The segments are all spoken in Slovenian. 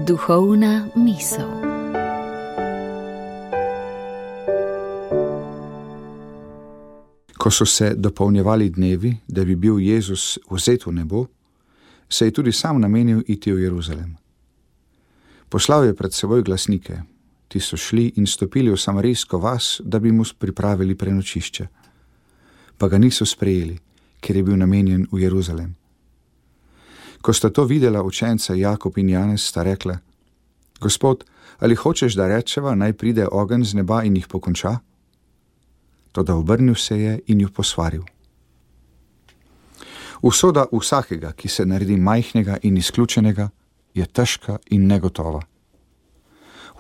Duhovna misel. Ko so se dopolnjevali dnevi, da bi bil Jezus vzet v nebo, se je tudi sam namenil iti v Jeruzalem. Poslal je pred seboj glasnike, ti so šli in stopili v samarijsko vas, da bi mu pripravili prenočišče. Pa ga niso sprejeli, ker je bil namenjen v Jeruzalem. Ko sta to videla učenca Jakob in Janez, sta rekla: Gospod, ali hočeš, da rečeva, naj pride ogenj z neba in jih pokonča? Toda obrnil se je in ju posvaril. Usoda vsakega, ki se naredi majhnega in izključenega, je težka in negotova.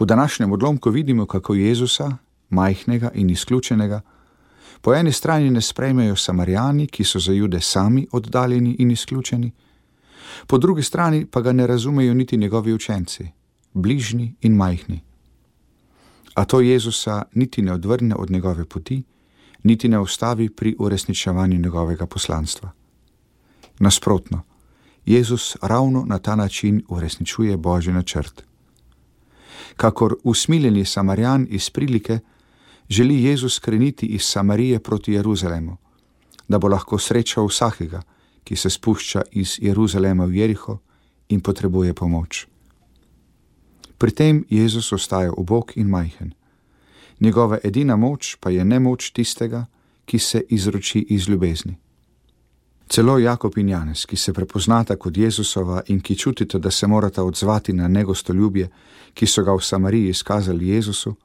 V današnjem odlomku vidimo, kako Jezusa, majhnega in izključenega, po eni strani ne sprejmejo Samarijani, ki so za Jude sami oddaljeni in izključeni, po drugi strani pa ga ne razumejo niti njegovi učenci, bližnji in majhni. A to Jezusa niti ne odvrne od njegove poti, niti ne ustavi pri uresničevanju njegovega poslanstva. Nasprotno, Jezus ravno na ta način uresničuje Božji načrt. Kakor usmiljeni Samarijan iz prilike, želi Jezus kreniti iz Samarije proti Jeruzalemu, da bo lahko srečal vsakega, ki se spušča iz Jeruzalema v Jeriho in potrebuje pomoč. Pri tem Jezus ostaja ubog in majhen. Njegova edina moč pa je nemoč tistega, ki se izroči iz ljubezni. Celo Jakob in Janez, ki se prepoznata kot Jezusova in ki čutita, da se morata odzvati na negostoljubje, ki so ga v Samariji izkazali Jezusu,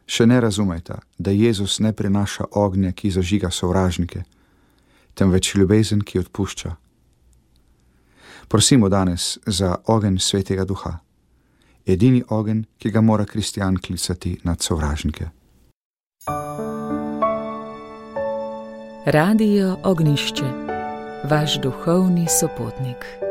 še ne razumeta, da Jezus ne prinaša ognja, ki zažiga sovražnike, temveč ljubezen, ki odpušča. Prosimo danes za ogenj Svetega Duha, edini ogenj, ki ga mora kristjan klicati nad sovražnike. Radio Ognišče, vaš duhovni sopotnik.